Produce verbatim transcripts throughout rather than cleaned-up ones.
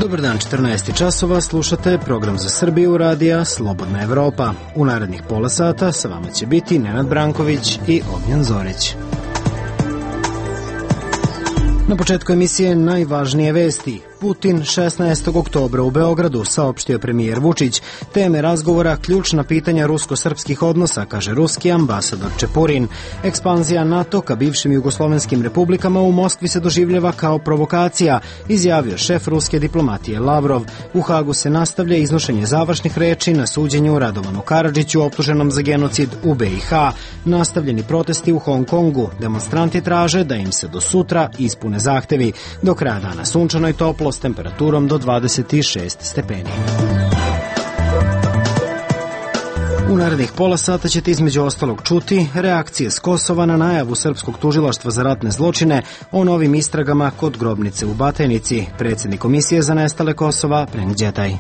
Dobar dan, četrnaest časova, slušate program za Srbiju radija Slobodna Evropa. U narednih pola sata sa vama će biti Nenad Branković i Ognjen Zorić. Na početku emisije najvažnije vesti. Putin šesnaestog oktobra u Beogradu, saopštio premijer Vučić. Teme razgovora ključna pitanja rusko-srpskih odnosa, kaže ruski ambasador Čepurin. Ekspanzija NATO ka bivšim jugoslovenskim republikama u Moskvi se doživljava kao provokacija, izjavio šef ruske diplomatije Lavrov. U Hagu se nastavlja iznošenje završnih reči na suđenju Radovanu Karadžiću, optuženom za genocid u B i H. Nastavljeni protesti u Hong Kongu. Demonstranti traže da im se do sutra ispune zahtevi. Do kraja dana sunčano i toplo s temperaturom do dvadeset šest stepeni. U narednih pola sata ćete između ostalog čuti reakcije s Kosova na najavu Srpskog tužilaštva za ratne zločine o novim istragama kod grobnice u Batajnici. Predsjednik Komisije za nestale Kosova, Prenk Đetaj.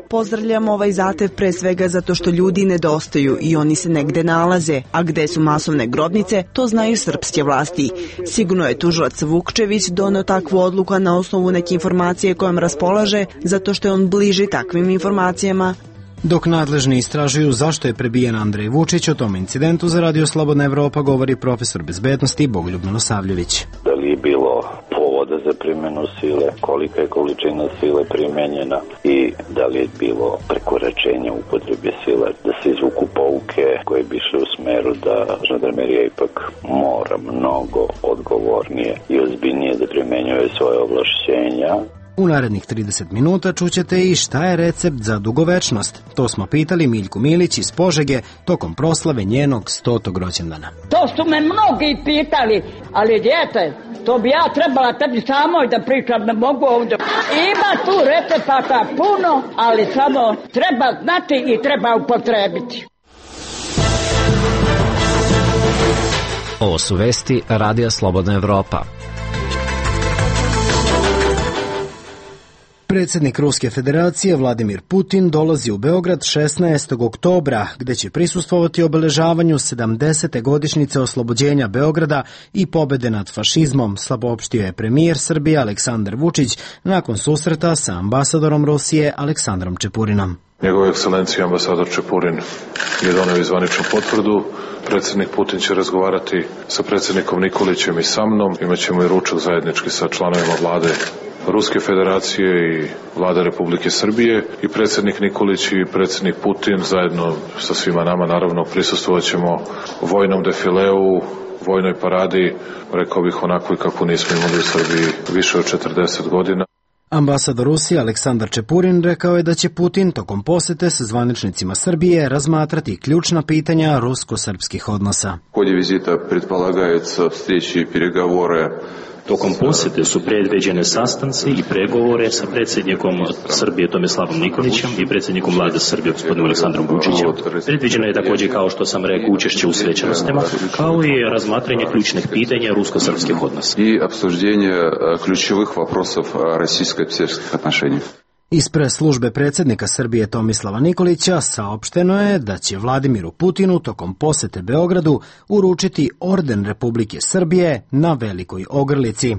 Pozdravljam ovaj zahtev pre svega zato što ljudi nedostaju i oni se negde nalaze, a gde su masovne grobnice, to znaju srpske vlasti. Sigurno je tužilac Vukčević doneo takvu odluku na osnovu neke informacije kojom raspolaže, zato što je on bliži takvim informacijama. Dok nadležni istražuju zašto je prebijen Andrej Vučić, o tom incidentu za Radio Slobodna Evropa govori profesor bezbednosti Bogoljub Milosavljević. Da li je bilo povoda za primjenu sile, kolika je količina sile primenjena i da li je bilo prekoračenja upotrebe sile, da se izvuku pouke koje bi išle u smeru da žandarmerija ipak mora mnogo odgovornije i ozbiljnije da primenjuje svoje ovlašćenja. U narednih trideset minuta čućete i šta je recept za dugovečnost. To smo pitali Miljku Milić iz Požege tokom proslave njenog stotog rođendana. To su me mnogi pitali, ali djete, to bi ja trebala tebi samoj da pričam, ne mogu ovdje. Ima tu recepata puno, ali samo treba znati i treba upotrebiti. Ovo su vesti Radija Slobodna Evropa. Predsjednik Ruske federacije Vladimir Putin dolazi u Beograd šesnaestog oktobra, gde će prisustvovati obeležavanju sedamdesete godišnjice oslobođenja Beograda i pobede nad fašizmom, saopštio je premijer Srbije Aleksandar Vučić nakon susreta sa ambasadorom Rusije Aleksandrom Čepurinom. Njegova ekscelencija ambasador Čepurin je doneo zvaničnu potvrdu. Predsjednik Putin će razgovarati sa predsjednikom Nikolićem i sa mnom. Imaćemo i ručak zajednički sa članovima vlade Ruske federacije i vlada Republike Srbije i predsjednik Nikolić i predsjednik Putin zajedno sa svima nama naravno prisustvovat ćemo vojnom defileu, vojnoj paradi, rekao bih onako kako nismo imali u Srbiji više od četrdeset godina. Ambasador Rusije Aleksandar Čepurin rekao je da će Putin tokom posete sa zvaničnicima Srbije razmatrati ključna pitanja rusko-srpskih odnosa. U ході візита предполагаються встречи и переговоры. Tokom posjete su predviđene sastanci i pregovore sa predsjednikom Srbije Tomislavom Nikolićem i predsjednikom vlade Srbije gospodinom Aleksandrom Vučićem. Predviđeno je također, kao što sam rekao, učešće u svečanostima, kao i razmatranje ključnih pitanja rusko-srpskih odnosa. I обсуждение ключевых вопросов российско-српских отношений. Iz press-službe predsjednika Srbije Tomislava Nikolića saopšteno je da će Vladimiru Putinu tokom posete Beogradu uručiti orden Republike Srbije na Velikoj Ogrlici.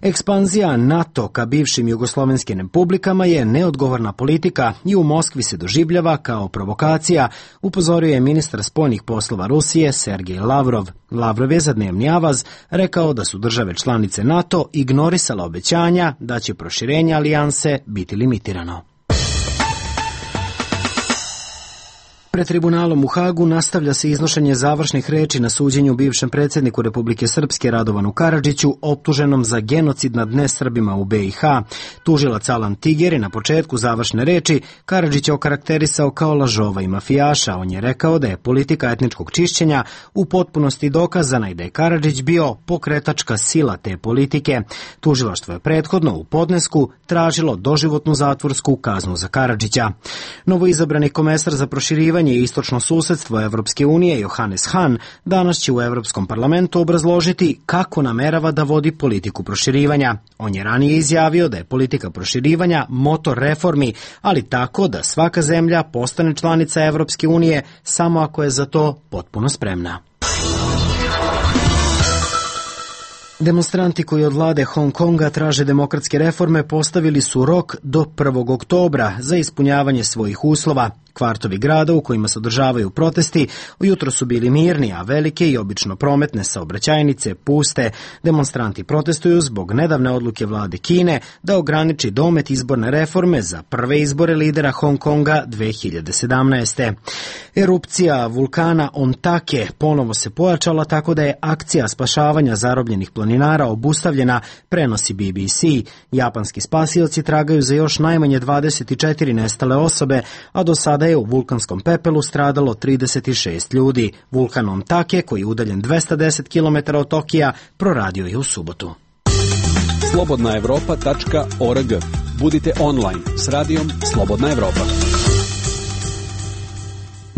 Ekspanzija NATO ka bivšim jugoslovenskim republikama je neodgovorna politika i u Moskvi se doživljava kao provokacija, upozorio je ministar spoljnih poslova Rusije Sergej Lavrov. Lavrov je za dnevni avaz rekao da su države članice NATO ignorisale obećanja da će proširenje alijanse biti limitirano. Pred tribunalom u Hagu nastavlja se iznošenje završnih reči na suđenju bivšem predsjedniku Republike Srpske Radovanu Karadžiću, optuženom za genocid nad nesrbima u B i H. Tužilac Alan Tiger je na početku završne reči Karadžića okarakterisao kao lažova i mafijaša. On je rekao da je politika etničkog čišćenja u potpunosti dokazana i da je Karadžić bio pokretačka sila te politike. Tužilaštvo je prethodno u podnesku tražilo doživotnu zatvorsku kaznu za Karadžića. Novoizabrani komesar za proširivanje i istočno susedstvo Evropske unije Johannes Hahn danas će u Evropskom parlamentu obrazložiti kako namerava da vodi politiku proširivanja. On je ranije izjavio da je politika proširivanja motor reformi, ali tako da svaka zemlja postane članica Evropske unije samo ako je za to potpuno spremna. Demonstranti koji od vlade Hong Konga traže demokratske reforme postavili su rok do prvog oktobra za ispunjavanje svojih uslova. Kvartovi grada u kojima se održavaju protesti ujutro su bili mirni, a velike i obično prometne saobraćajnice puste. Demonstranti protestuju zbog nedavne odluke vlade Kine da ograniči domet izborne reforme za prve izbore lidera Hong Konga dve hiljade sedamnaeste. Erupcija vulkana Ontake ponovo se pojačala tako da je akcija spašavanja zarobljenih planinara obustavljena, prenosi B B C. Japanski spasioci tragaju za još najmanje dvadeset četiri nestale osobe, a do sada je u vulkanskom pepelu stradalo trideset šest ljudi. Vulkan Ontake, koji je udaljen dvesta deset kilometara od Tokija, proradio je u subotu. slobodna evropa tačka org. Budite online s radijom Slobodna Evropa.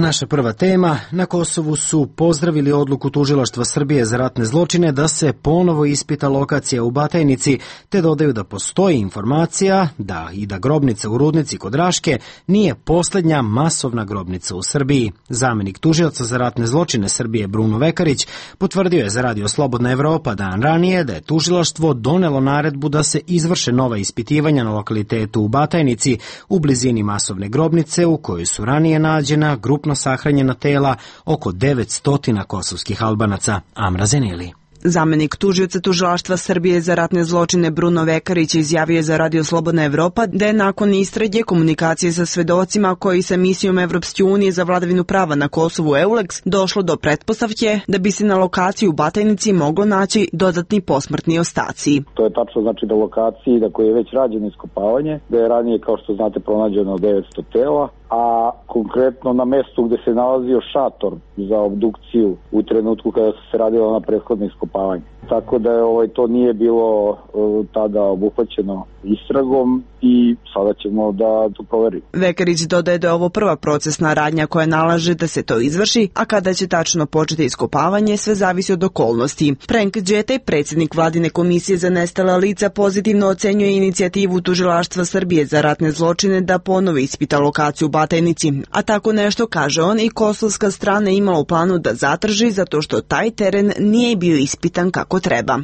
Naša prva tema. Na Kosovu su pozdravili odluku Tužilaštva Srbije za ratne zločine da se ponovo ispita lokacija u Batajnici, te dodaju da postoji informacija da i da grobnica u Rudnici kod Raške nije posljednja masovna grobnica u Srbiji. Zamenik tužioca za ratne zločine Srbije Bruno Vekarić potvrdio je za radio Slobodna Evropa dan ranije da je tužilaštvo donelo naredbu da se izvrše nova ispitivanja na lokalitetu u Batajnici u blizini masovne grobnice u kojoj su ranije nađena grupna sahranjena tela oko devetsto kosovskih Albanaca. Amra Zeneli. Zamenik tužioca Tužilaštva Srbije za ratne zločine Bruno Vekarić izjavio za radio Slobodna Evropa da je nakon istrage komunikacije sa svedocima koji sa misijom Evropske unije za vladavinu prava na Kosovu EULEX došlo do pretpostavke da bi se na lokaciji u Batajnici moglo naći dodatni posmrtni ostaci. To je tačno, znači da lokaciji da koji je već rađeno iskopavanje, da je ranije, kao što znate, pronađeno devetsto tela, a konkretno na mestu gde se nalazio šator za obdukciju u trenutku kada su se radilo na prethodno iskopavanje. Tako da je ovaj, to nije bilo uh, tada obuhvaćeno istragom i sada ćemo da to proverimo. Vekarić dodaje da je ovo prva procesna radnja koja nalaže da se to izvrši, a kada će tačno početi iskopavanje, sve zavisi od okolnosti. Frank Đetej, predsjednik vladine komisije za nestala lica, pozitivno ocenjuje inicijativu Tužilaštva Srbije za ratne zločine da ponovo ispita lokaciju u Batajnici, a tako nešto, kaže on, i kosovska strana imala u planu da zatraži zato što taj teren nije bio ispitan kako treba.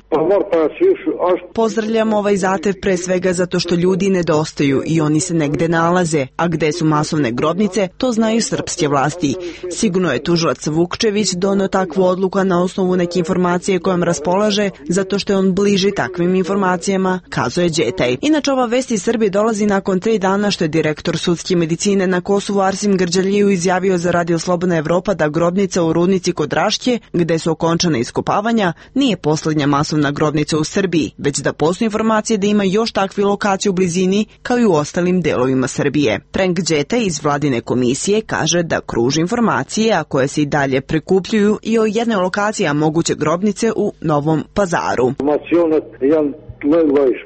Pozdravljam ovaj zahtev pre svega zato što ljudi nedostaju i oni se negde nalaze, a gde su masovne grobnice, to znaju srpske vlasti. Sigurno je tužilac Vukčević doneo takvu odluku na osnovu neke informacije kojom raspolaže, zato što je on bliži takvim informacijama, kazuje Đetej. Inače, ova vest iz Srbije dolazi nakon tri dana što je direktor sudske medicine na Kosovu Arsim Grđaliju izjavio za radio Slobodna Evropa da grobnica u Rudnici kod Raške, gde su okončane iskopavanja, nije poslednja masovna grobnica u Srbiji, već da postoji informacije da ima još takvi lokacije u blizini kao i u ostalim delovima Srbije. Frank Đetej iz vladine komisije kaže da kruži informacije, a koje se i dalje prekupljuju, i o jednoj lokaciji moguće grobnice u Novom Pazaru.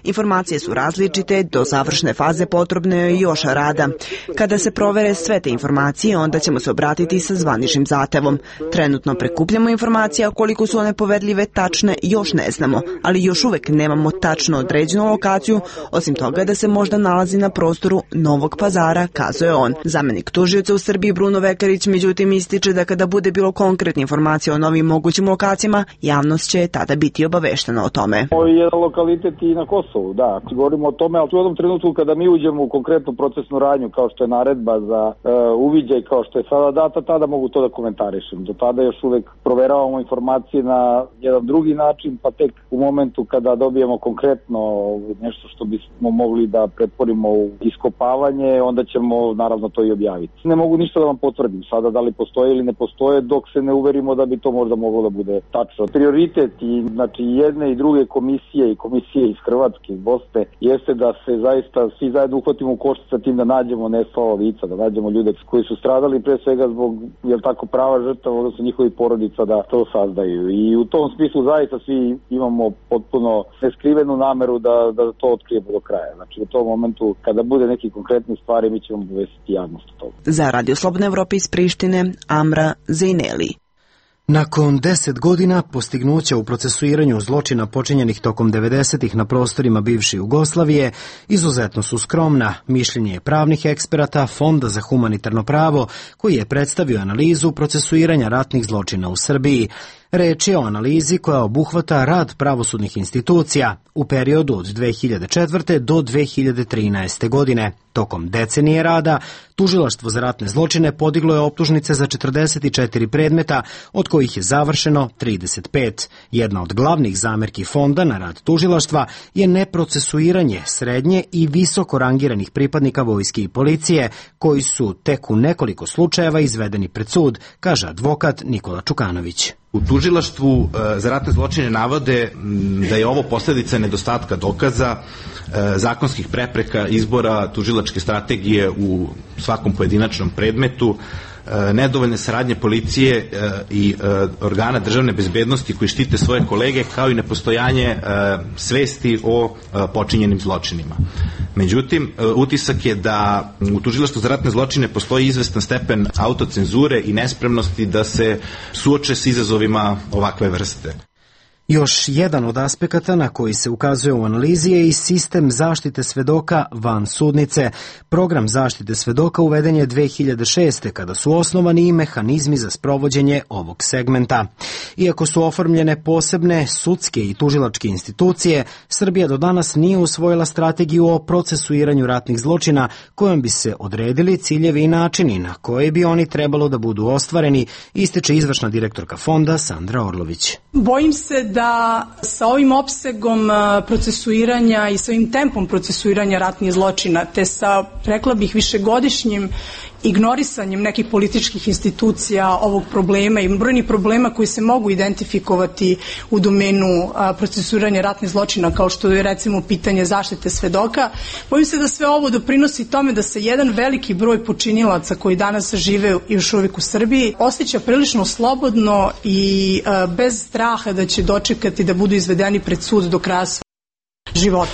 Informacije su različite, do završne faze potrebno je još rada. Kada se provere sve te informacije, onda ćemo se obratiti sa zvaničnim zahtevom. Trenutno prikupljamo informacije, a koliko su one poverljive, tačne, još ne znamo, ali još uvek nemamo tačno određenu lokaciju, osim toga da se možda nalazi na prostoru Novog Pazara, kazuje on. Zamenik tužioca u Srbiji Bruno Vekarić međutim ističe da kada bude bilo konkretne informacije o novim mogućim lokacijama, javnost će tada biti obaveštena o tome. Ovo je lokalitet i na Kosovu, da. Govorimo o tome, ali u jednom trenutku kada mi uđemo u konkretnu procesnu radnju, kao što je naredba za uh, uviđaj, kao što je sada data, tada mogu to da komentarišem. Do tada još uvek proveravamo informacije na jedan drugi način, pa tek u momentu kada dobijemo konkretno nešto što bismo mogli da pretvorimo u iskopavanje, onda ćemo naravno to i objaviti. Ne mogu ništa da vam potvrdim sada da li postoje ili ne postoje dok se ne uverimo da bi to možda moglo da bude tačno. Prioritet i znači jedne i druge komisije i komisije iz Hrvatske, iz Bosne, jeste da se zaista svi zajedno uhvatimo u koštac sa tim da nađemo nestala lica, da nađemo ljude koji su stradali pre svega zbog, jel tako, prava žrtava, odnosno njihovih porodica da to sazdaju. I u tom smislu zaista svi imamo potpuno neskrivenu nameru da, da to otkrijemo do kraja. Znači u tom momentu kada bude neki konkretni stvari mi ćemo obavestiti javnost o toga. Za Radio Slobodne Evrope iz Prištine, Amra Zeneli. Nakon deset godina postignuća u procesuiranju zločina počinjenih tokom devedesetih na prostorima bivše Jugoslavije izuzetno su skromna. Mišljenje je pravnih eksperata Fonda za humanitarno pravo koji je predstavio analizu procesuiranja ratnih zločina u Srbiji. Reč je o analizi koja obuhvata rad pravosudnih institucija u periodu od dve hiljade četvrte. do dve hiljade trinaeste. godine. Tokom decenije rada, Tužilaštvo za ratne zločine podiglo je optužnice za četrdeset četiri predmeta, od kojih je završeno trideset pet. Jedna od glavnih zamerki fonda na rad tužilaštva je neprocesuiranje srednje i visoko rangiranih pripadnika vojske i policije, koji su tek u nekoliko slučajeva izvedeni pred sud, kaže advokat Nikola Čukanović. U tužilaštvu za ratne zločine navode da je ovo posljedica nedostatka dokaza, zakonskih prepreka, izbora tužilačke strategije u svakom pojedinačnom predmetu, nedovoljne saradnje policije i organa državne bezbednosti koji štite svoje kolege, kao i nepostojanje svesti o počinjenim zločinima. Međutim, utisak je da u tužilaštvu za ratne zločine postoji izvestan stepen autocenzure i nespremnosti da se suoče s izazovima ovakve vrste. Još jedan od aspekata na koji se ukazuje u analizi je i sistem zaštite svedoka van sudnice. Program zaštite svedoka uveden je dve hiljade šeste. kada su osnovani i mehanizmi za sprovođenje ovog segmenta. Iako su oformljene posebne sudske i tužilačke institucije, Srbija do danas nije usvojila strategiju o procesuiranju ratnih zločina kojom bi se odredili ciljevi i načini na koje bi oni trebalo da budu ostvareni, ističe izvršna direktorka fonda Sandra Orlović. Bojim se da da sa ovim opsegom procesuiranja i sa ovim tempom procesuiranja ratnih zločina, te sa, rekla bih, višegodišnjim ignorisanjem nekih političkih institucija ovog problema i brojnih problema koji se mogu identifikovati u domenu procesuiranja ratnih zločina, kao što je recimo pitanje zaštite svedoka, bojim se da sve ovo doprinosi tome da se jedan veliki broj počinilaca koji danas žive još uvijek u Srbiji osjeća prilično slobodno i bez straha da će dočekati da budu izvedeni pred sud do kraja svog života.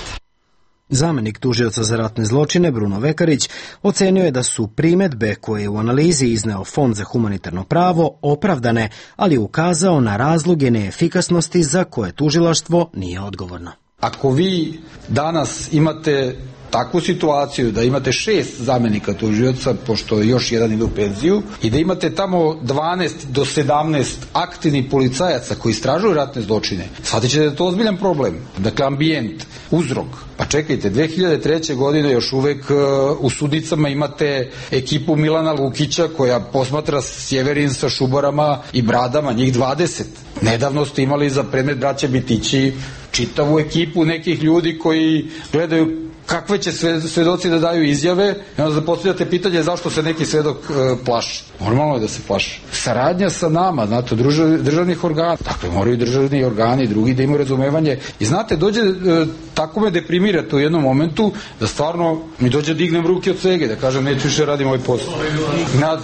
Zamenik tužioca za ratne zločine Bruno Vekarić ocenio je da su primedbe koje je u analizi izneo Fond za humanitarno pravo opravdane, ali ukazao na razloge neefikasnosti za koje tužilaštvo nije odgovorno. Ako vi danas imate takvu situaciju da imate šest zamenika tužioca, pošto još jedan ide u penziju, i da imate tamo dvanaest do sedamnaest aktivnih policajaca koji istražuju ratne zločine, shvatit ćete da je to ozbiljan problem. Dakle, ambijent, uzrok. Pa čekajte, dve hiljade treće. godine još uvek uh, u sudnicama imate ekipu Milana Lukića koja posmatra Sjeverin sa šubarama i bradama, njih dvadeset. Nedavno ste imali za predmet braća Bitići čitavu ekipu nekih ljudi koji gledaju kakve će svedoci da daju izjave, i onda da postavljate pitanje zašto se neki svedok e, plaši. Normalno je da se plaši. Saradnja sa nama, znate, držav, državnih organa, dakle moraju državni organi i drugi da imaju razumevanje. I znate, dođe, e, tako me deprimirate u jednom momentu, da stvarno mi dođe dignem ruke od cege, da kažem neću više radim ovaj posao. Nad...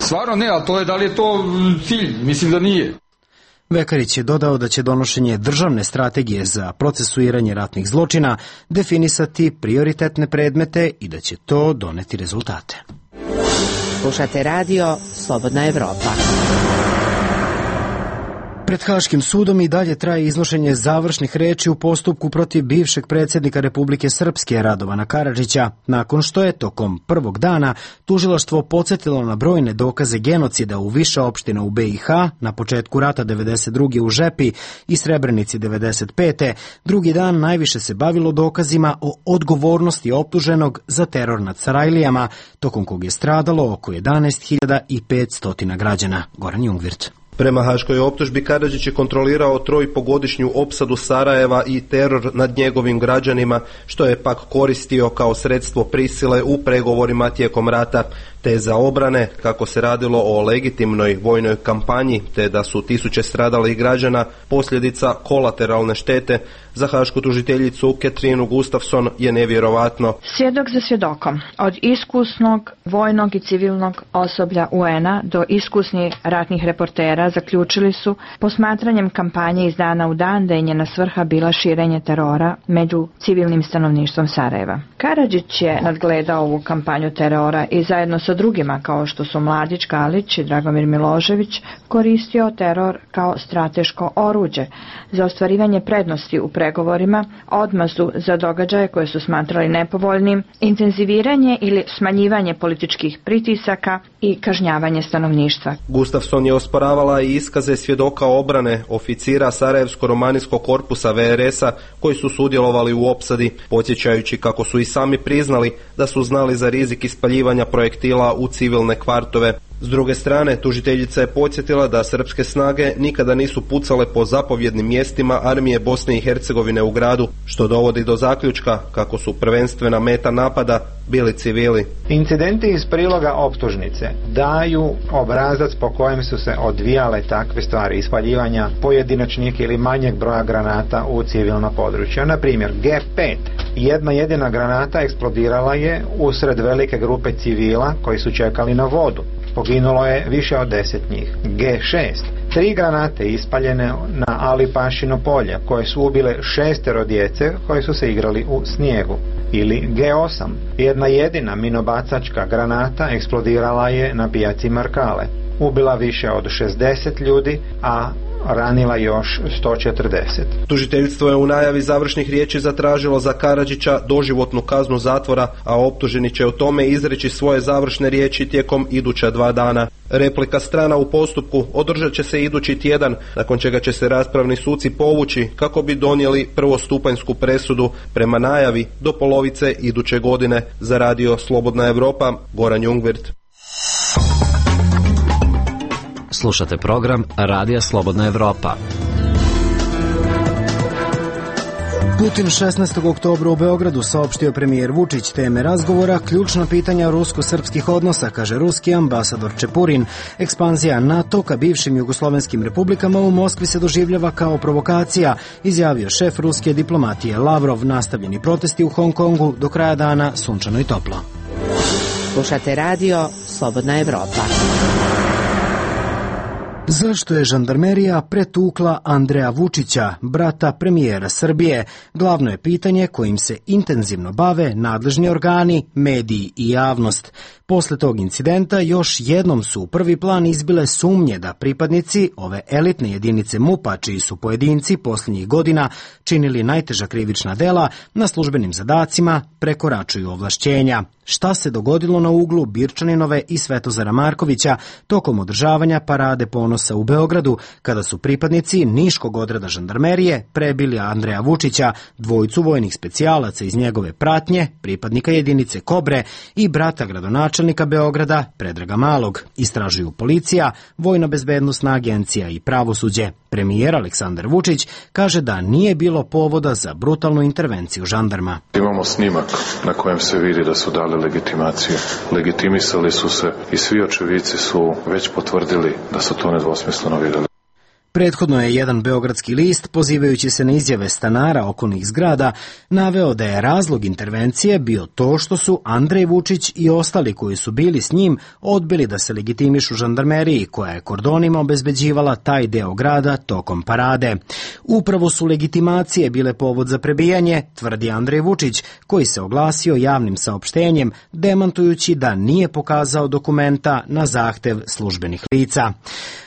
Stvarno ne, ali to je, da li je to cilj? Mislim da nije. Vekarić je dodao da će donošenje državne strategije za procesuiranje ratnih zločina definisati prioritetne predmete i da će to doneti rezultate. Slušate radio Slobodna Evropa. Pred Haškim sudom i dalje traje iznošenje završnih reči u postupku protiv bivšeg predsjednika Republike Srpske Radovana Karadžića, nakon što je tokom prvog dana tužilaštvo podsjetilo na brojne dokaze genocida u više opština u B i H, na početku rata devedeset druge u Žepi i Srebrenici devedeset pete. Drugi dan najviše se bavilo dokazima o odgovornosti optuženog za teror nad Sarajlijama, tokom kog je stradalo oko jedanaest hiljada petsto građana. Goran Jungvirt. Prema haškoj optužbi Karadžić je kontrolirao trojpogodišnju opsadu Sarajeva i teror nad njegovim građanima, što je pak koristio kao sredstvo prisile u pregovorima tijekom rata, te za obrane, kako se radilo o legitimnoj vojnoj kampanji, te da su tisuće stradalih građana posljedica kolateralne štete. Za hašku tužiteljicu Katrinu Gustafson je nevjerovatno. Svjedok za svjedokom, od iskusnog vojnog i civilnog osoblja U N a do iskusnih ratnih reportera zaključili su posmatranjem kampanje iz dana u dan da je njena svrha bila širenje terora među civilnim stanovništvom Sarajeva. Karadžić je nadgledao ovu kampanju terora i zajedno sa drugima kao što su Mladić, Galić i Dragomir Milošević koristio teror kao strateško oruđe za ostvarivanje prednosti u pregovorima, odmazdu za događaje koje su smatrali nepovoljnim, intenziviranje ili smanjivanje političkih pritisaka i kažnjavanje stanovništva. Gustafson je osporavala dela i iskaze svjedoka obrane oficira Sarajevsko-romanijskog korpusa ve er es a koji su sudjelovali u opsadi, podsjećajući kako su i sami priznali da su znali za rizik ispaljivanja projektila u civilne kvartove. S druge strane, tužiteljica je podsjetila da srpske snage nikada nisu pucale po zapovjednim mjestima armije Bosne i Hercegovine u gradu, što dovodi do zaključka kako su prvenstvena meta napada bili civili. Incidenti iz priloga optužnice daju obrazac po kojem su se odvijale takve stvari, ispaljivanja pojedinačnih ili manjeg broja granata u civilno područje. Na primjer, ge pet, jedna jedina granata eksplodirala je usred velike grupe civila koji su čekali na vodu. Poginulo je više od deset njih. ge šest, tri granate ispaljene na Ali Pašino polje, koje su ubile šestero djece koji su se igrali u snijegu. Ili ge osam, jedna jedina minobacačka granata eksplodirala je na pijaci Markale. Ubila više od šezdeset ljudi, a ranila još sto četrdeset. Tužiteljstvo je u najavi završnih riječi zatražilo za Karadžića doživotnu kaznu zatvora, a optuženi će o tome izreći svoje završne riječi tijekom iduća dva dana. Replika strana u postupku održat će se idući tjedan, nakon čega će se raspravni suci povući kako bi donijeli prvostupanjsku presudu prema najavi do polovice iduće godine. Za radio Slobodna Evropa, Goran Jungwirth. Slušate program Radija Slobodna Evropa. Putin šesnaestog oktobra u Beogradu saopštio premijer Vučić teme razgovora, ključna pitanja rusko-srpskih odnosa, kaže ruski ambasador Čepurin. Ekspanzija NATO ka bivšim jugoslovenskim republikama u Moskvi se doživljava kao provokacija, izjavio šef ruske diplomatije Lavrov. Nastavljeni protesti u Hong Kongu, do kraja dana sunčano i toplo. Slušate radio Slobodna Evropa. Zašto je žandarmerija pretukla Andreja Vučića, brata premijera Srbije? Glavno je pitanje kojim se intenzivno bave nadležni organi, mediji i javnost. Posle tog incidenta još jednom su u prvi plan izbile sumnje da pripadnici ove elitne jedinice MUP-a, čiji su pojedinci posljednjih godina činili najteža krivična dela, na službenim zadacima prekoračuju ovlašćenja. Šta se dogodilo na uglu Birčaninove i Svetozara Markovića tokom održavanja Parade ponosa u Beogradu, kada su pripadnici Niškog odreda žandarmerije prebili Andreja Vučića, dvojicu vojnih specijalaca iz njegove pratnje, pripadnika jedinice Kobre i brata gradonačelnika Beograda Predraga Malog, istražuju policija, Vojna bezbednosna agencija i pravosuđe. Premijer Aleksandar Vučić kaže da nije bilo povoda za brutalnu intervenciju žandarma. Imamo snimak na kojem se vidi da su dali legitimaciju. Legitimisali su se i svi očevici su već potvrdili da su to nedvosmisleno vidjeli. Prethodno je jedan beogradski list, pozivajući se na izjave stanara okolnih zgrada, naveo da je razlog intervencije bio to što su Andrej Vučić i ostali koji su bili s njim odbili da se legitimišu žandarmeriji, koja je kordonima obezbeđivala taj deo grada tokom parade. Upravo su legitimacije bile povod za prebijanje, tvrdi Andrej Vučić, koji se oglasio javnim saopštenjem, demantujući da nije pokazao dokumenta na zahtev službenih lica.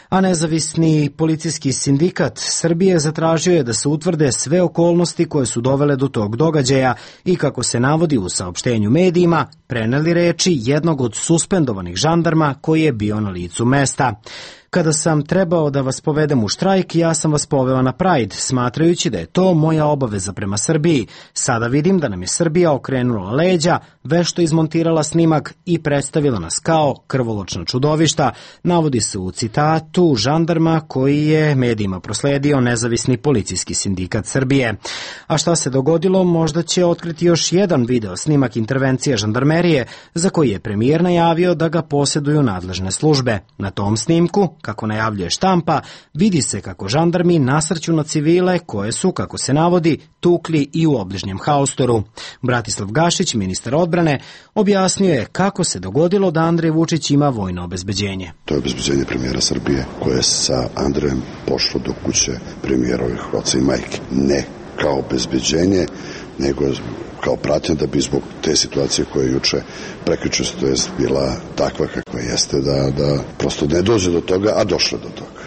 A nezavisni policijski sindikat Srbije zatražio je da se utvrde sve okolnosti koje su dovele do tog događaja i, kako se navodi u saopštenju medijima, preneli reči jednog od suspendovanih žandarma koji je bio na licu mesta. Kada sam trebao da vas povedem u štrajk, ja sam vas poveo na Pride, smatrajući da je to moja obaveza prema Srbiji. Sada vidim da nam je Srbija okrenula leđa, vešto izmontirala snimak i predstavila nas kao krvoločna čudovišta, navodi se u citatu žandarma koji je medijima prosledio nezavisni policijski sindikat Srbije. A šta se dogodilo, možda će otkriti još jedan video snimak intervencije žandarmerije, za koji je premijer najavio da ga posjeduju nadležne službe. Na tom snimku, kako najavljuje štampa, vidi se kako žandarmi nasrću na civile koje su, kako se navodi, tukli i u obližnjem haustoru. Bratislav Gašić, ministar odbrane, objasnio je kako se dogodilo da Andrej Vučić ima vojno obezbeđenje. To je obezbeđenje premijera Srbije koje je sa Andrejem pošlo do kuće premijerovih oca i majke. Ne kao obezbeđenje, nego kao pratnja da bi zbog te situacije koja je juče prekjuče to je bila takva kakva jeste, da, da prosto ne dođe do toga, a došlo do toga.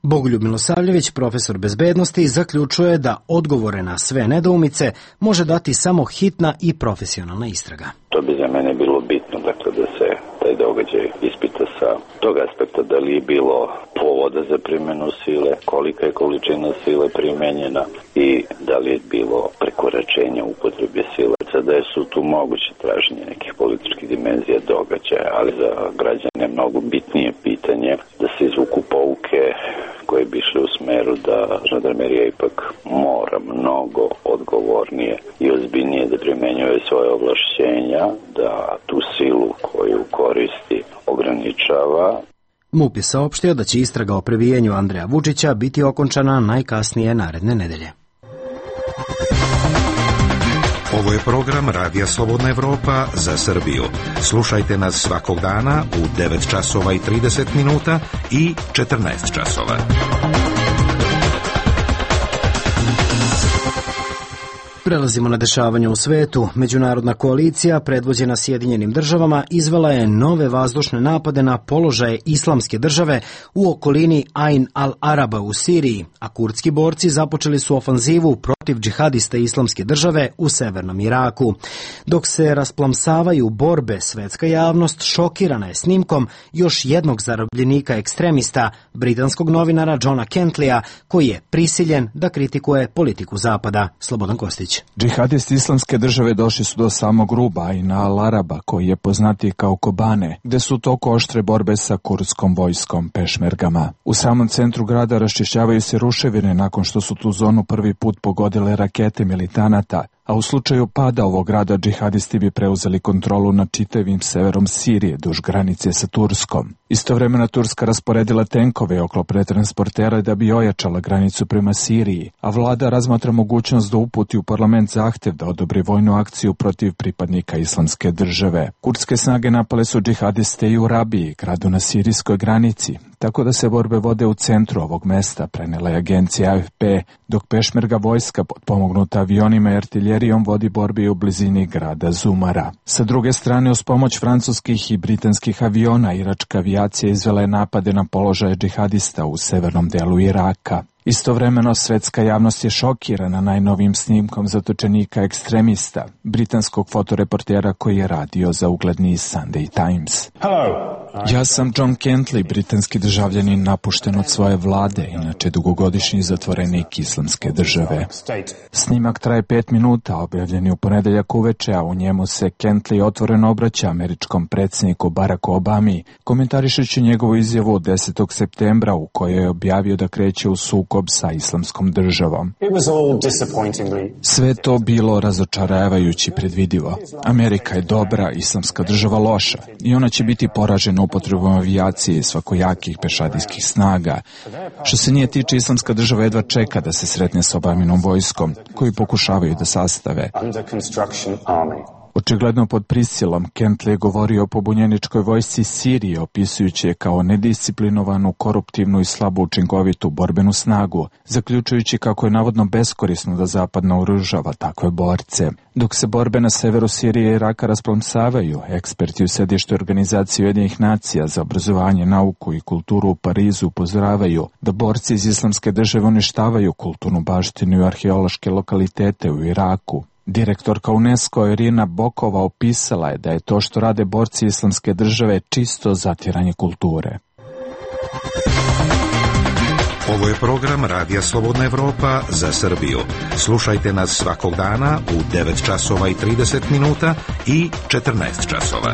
Bogoljub Milosavljević, profesor bezbednosti, zaključuje da odgovore na sve nedoumice može dati samo hitna i profesionalna istraga. To bi za mene bilo bitno, dakle, da se taj događaj ispita sa tog aspekta da li je bilo povoda za primjenu sile, kolika je količina sile primenjena i da li je bilo prekoračenja upotrebe sile. Sada su tu moguće traženje nekih političkih dimenzija događaja, ali za građane je mnogo bitnije pitanje da se izvuku pouke koje bi išle u smeru da žandarmerija ipak mora mnogo odgovornije i ozbiljnije da primenjuje svoje ovlašćenja, da tu silu koju koristi ograničava. MUP je saopštio da će istraga o prebijenju Andreja Vučića biti okončana najkasnije naredne nedelje. Ovo je program Radija Slobodna Evropa za Srbiju. Slušajte nas svakog dana u devet časova i trideset minuta i četrnaest časova. Prelazimo na dešavanje u svetu. Međunarodna koalicija, predvođena Sjedinjenim državama, izvela je nove vazdušne napade na položaje Islamske države u okolini Ain al-Araba u Siriji, a kurdski borci započeli su ofanzivu protiv džihadista Islamske države u severnom Iraku. Dok se rasplamsavaju borbe, svetska javnost šokirana je snimkom još jednog zarobljenika ekstremista, britanskog novinara Johna Kentleya, koji je prisiljen da kritikuje politiku Zapada. Slobodan Kostić. Džihadisti Islamske države došli su do samog ruba Ain al-Araba, koji je poznatiji kao Kobane, gde su u toku oštre borbe sa kurdskom vojskom pešmergama. U samom centru grada raščišćavaju se ruševine nakon što su tu zonu prvi put pogodile rakete militanata, a u slučaju pada ovog grada džihadisti bi preuzeli kontrolu nad čitavim severom Sirije duž granice sa Turskom. Istovremeno Turska rasporedila tenkove i oklopne transportere da bi ojačala granicu prema Siriji, a vlada razmatra mogućnost da uputi u parlament zahtev da odobri vojnu akciju protiv pripadnika Islamske države. Kurdske snage napale su džihadiste i u Rabiji, gradu na sirijskoj granici, tako da se borbe vode u centru ovog mesta, prenela je agencija A F P, dok pešmerga vojska potpomognuta avionima i artiljerijom vodi borbi u blizini grada Zumara. Sa druge strane, uz pomoć francuskih i britanskih aviona, iračka avijacija izvela je napade na položaje džihadista u severnom delu Iraka. Istovremeno, svetska javnost je šokirana najnovijim snimkom zatočenika ekstremista, britanskog fotoreportera koji je radio za ugledni Sunday Times. Ja sam John Kentley, britanski državljanin napušten od svoje vlade, inače dugogodišnji zatvorenik Islamske države. Snimak traje pet minuta, objavljen je u ponedeljak uveče, a u njemu se Kentley otvoreno obraća američkom predsjedniku Baracku Obami, komentarišući njegovu izjavu od desetog septembra u kojoj je objavio da kreće u sukob sa Islamskom državom. Sve to bilo razočaravajući predvidivo. Amerika je dobra, Islamska država loša i ona će biti poražena upotrebom avijacije i svakojakih pešadijskih snaga. Što se nije tiče, Islamska država jedva čeka da se sretne s Obaminom vojskom, koju pokušavaju da sastave. Očigledno pod prisilom, Kentley je govorio o pobunjeničkoj vojsci Sirije, opisujući je kao nedisciplinovanu, koruptivnu i slabo učinkovitu borbenu snagu, zaključujući kako je navodno beskorisno da Zapad naoružava takve borce. Dok se borbe na severu Sirije i Iraka rasplamsavaju, eksperti u sedištu Organizacije Ujedinjenih nacija za obrazovanje, nauku i kulturu u Parizu upozoravaju da borci iz Islamske države uništavaju kulturnu baštinu i arheološke lokalitete u Iraku. Direktorka UNESCO Irina Bokova opisala je da je to što rade borci Islamske države čisto zatiranje kulture. Ovo je program Radija Slobodna Evropa za Srbiju. Slušajte nas svakog dana u devet časova i trideset minuta i četrnaest časova.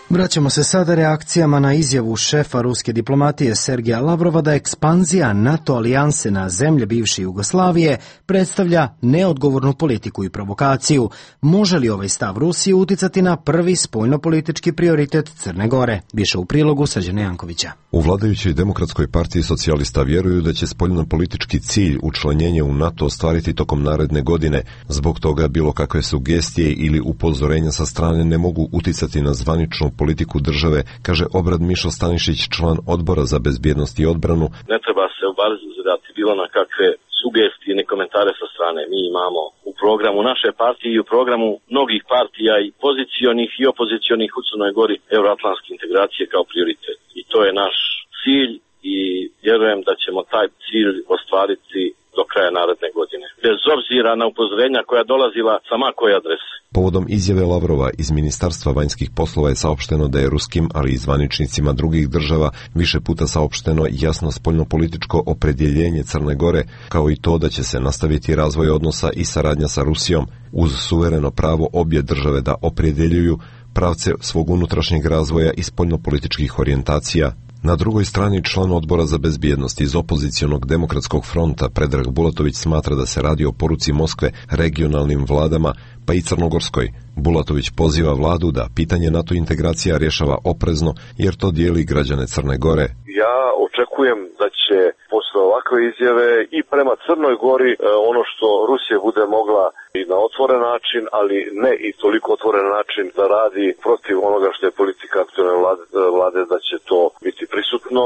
Vraćamo se sada reakcijama na izjavu šefa ruske diplomatije Sergeja Lavrova da ekspanzija NATO alijanse na zemlje bivše Jugoslavije predstavlja neodgovornu politiku i provokaciju. Može li ovaj stav Rusije uticati na prvi spoljnopolitički prioritet Crne Gore? Više u prilogu Srđana Jankovića. U vladajućoj Demokratskoj partiji socijalista vjeruju da će spoljnopolitički cilj učlanjenje u NATO ostvariti tokom naredne godine. Zbog toga bilo kakve sugestije ili upozorenja sa strane ne mogu uticati na zvaničnu politiku države, kaže Obrad Mišo Stanišić, član Odbora za bezbjednost i odbranu. Ne treba se obazirati bilo na kakve sugestije ni komentare sa strane. Mi imamo u programu naše partije i u programu mnogih partija i pozicionih i opozicionih u Crnoj Gori euroatlantske integracije kao prioritet. I to je naš cilj i vjerujem da ćemo taj cilj ostvariti do kraja naredne godine. bez obzira na upozorenja koja dolazila sa ma koje adrese. Povodom izjave Lavrova iz Ministarstva vanjskih poslova je saopšteno da je ruskim, ali i zvaničnicima drugih država više puta saopšteno jasno spoljnopolitičko opredjeljenje Crne Gore, kao i to da će se nastaviti razvoj odnosa i saradnja sa Rusijom, uz suvereno pravo obje države da opredjeljuju pravce svog unutrašnjeg razvoja i spoljnopolitičkih orijentacija. Na drugoj strani član odbora za bezbjednost iz opozicionog demokratskog fronta Predrag Bulatović smatra da se radi o poruci Moskve regionalnim vladama, pa i crnogorskoj. Bulatović poziva vladu da pitanje NATO integracija rješava oprezno, jer to dijeli građane Crne Gore. Ja očekujem da će posle ovakve izjave i prema Crnoj Gori ono što Rusija bude mogla i na otvoren način, ali ne i toliko otvoren način da radi protiv onoga što je politika aktualne vlade, vlade, da će to biti prisutno.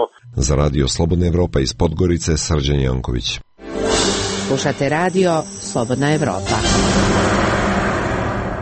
Za radio Slobodna Evropa iz Podgorice, Srđan Janković. Slušate radio Slobodna Evropa.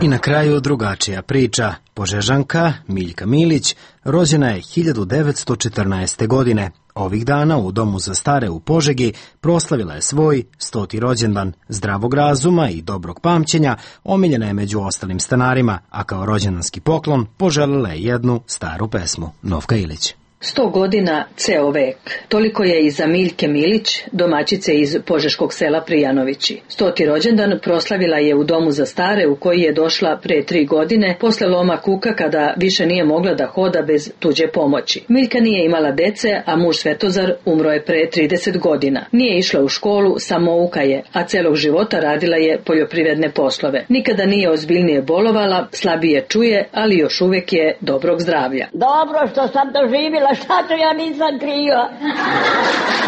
I na kraju drugačija priča. Požežanka Miljka Milić rođena je hiljadu devetsto četrnaeste. godine. Ovih dana u Domu za stare u Požegi proslavila je svoj stoti rođendan. Zdravog razuma i dobrog pamćenja omiljena je među ostalim stanarima, a kao rođendanski poklon poželjela je jednu staru pesmu. Novka Ilić. Sto godina, ceo vek. Toliko je i za Miljke Milić, domaćice iz požeškog sela Prijanovići. Stoti rođendan proslavila je u Domu za stare u koji je došla pre tri godine, posle loma kuka kada više nije mogla da hoda bez tuđe pomoći. Miljka nije imala dece, a muž Svetozar umro je pre trideset godina. Nije išla u školu, samouka je, a celog života radila je poljoprivredne poslove. Nikada nije ozbiljnije bolovala, slabije čuje, ali još uvek je dobrog zdravlja. Dobro što sam doživjela, šta to ja nisam kriva.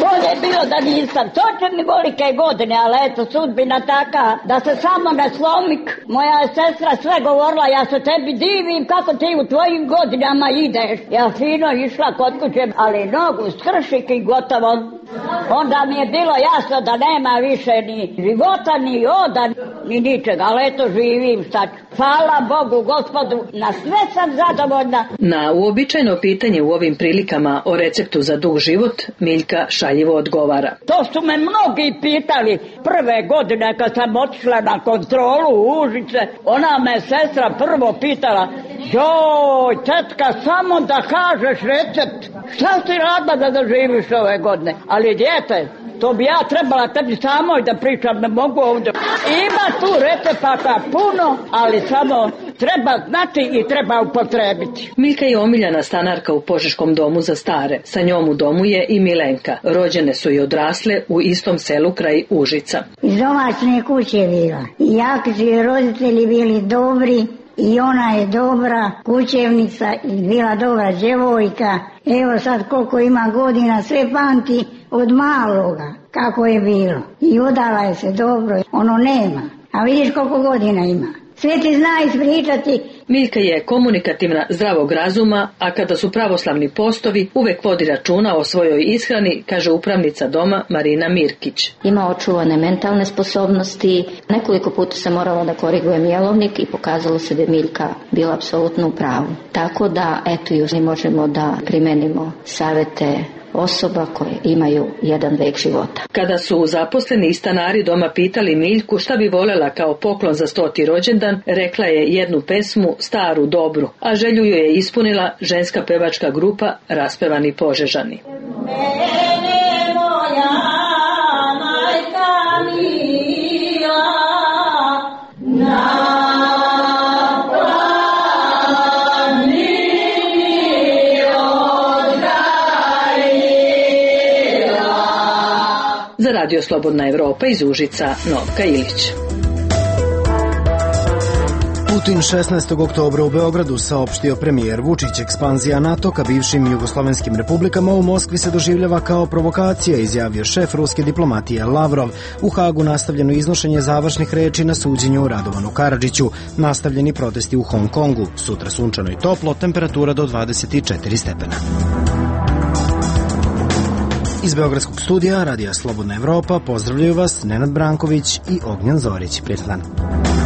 Bolje je bilo da nisam. Toče mi velike godine, ali eto, sudbina taka, da se samo ne slomik. Moja sestra sve govorila, ja se tebi divim kako ti u tvojim godinama ideš. Ja fino išla kod kuće, ali nogu skršik i gotovo. Onda mi je bilo jasno da nema više ni života, ni oda, ni ničega, ali eto živim sad. Hvala Bogu, Gospodu, na sve sam zadovoljna. Na uobičajeno pitanje u ovim prilikama o receptu za dug život, Miljka šaljivo odgovara. To su me mnogi pitali prve godine kad sam otišla na kontrolu u Užice. Ona me sestra prvo pitala, joj, tetka, samo da kažeš recept. Šta si radila da doživiš ove godine? Ali djete, to bi ja trebala tebi samoj da pričam, ne mogu ovdje. Ima tu recepata puno, ali samo treba znati i treba upotrebiti. Miljka je omiljena stanarka u Požeškom domu za stare. Sa njom u domu je i Milenka. Rođene su i odrasle u istom selu kraj Užica. Iz domaćne kuće je bila. I jako su joj roditelji bili dobri. I ona je dobra kućevnica i bila dobra djevojka. Evo sad koliko ima godina, sve pamti od maloga kako je bilo. I udala je se dobro, ono nema. A vidiš koliko godina ima. Sve ti zna ispričati. Miljka je komunikativna, zdravog razuma, a kada su pravoslavni postovi, uvek vodi računa o svojoj ishrani, kaže upravnica doma Marina Mirkić. Ima očuvane mentalne sposobnosti. Nekoliko puta se morala da korigujem jelovnik i pokazalo se da je Miljka bila apsolutno u pravu. Tako da, eto, još ne možemo da primenimo savete osoba koje imaju jedan vek života. Kada su zaposleni i stanari doma pitali Miljku šta bi volela kao poklon za stoti rođendan, rekla je jednu pesmu, staru, dobru, a želju ju je ispunila ženska pevačka grupa Raspevani Požežani. Mene moja majka mila, na Za radio Slobodna Evropa iz Užica, Novka Ilić. Putin šesnaestog oktobra u Beogradu saopštio premijer Vučić, ekspanzija NATO ka bivšim jugoslovenskim republikama u Moskvi se doživljava kao provokacija, izjavio šef ruske diplomatije Lavrov. U Hagu nastavljeno iznošenje završnih reči na suđenju Radovanu Karadžiću. Nastavljeni protesti u Hong Kongu. Sutra sunčano i toplo, temperatura do dvadeset četiri stepena. Iz Beogradskog studija Radija Slobodna Evropa pozdravljaju vas Nenad Branković i Ognjan Zorić. Prijatan dan.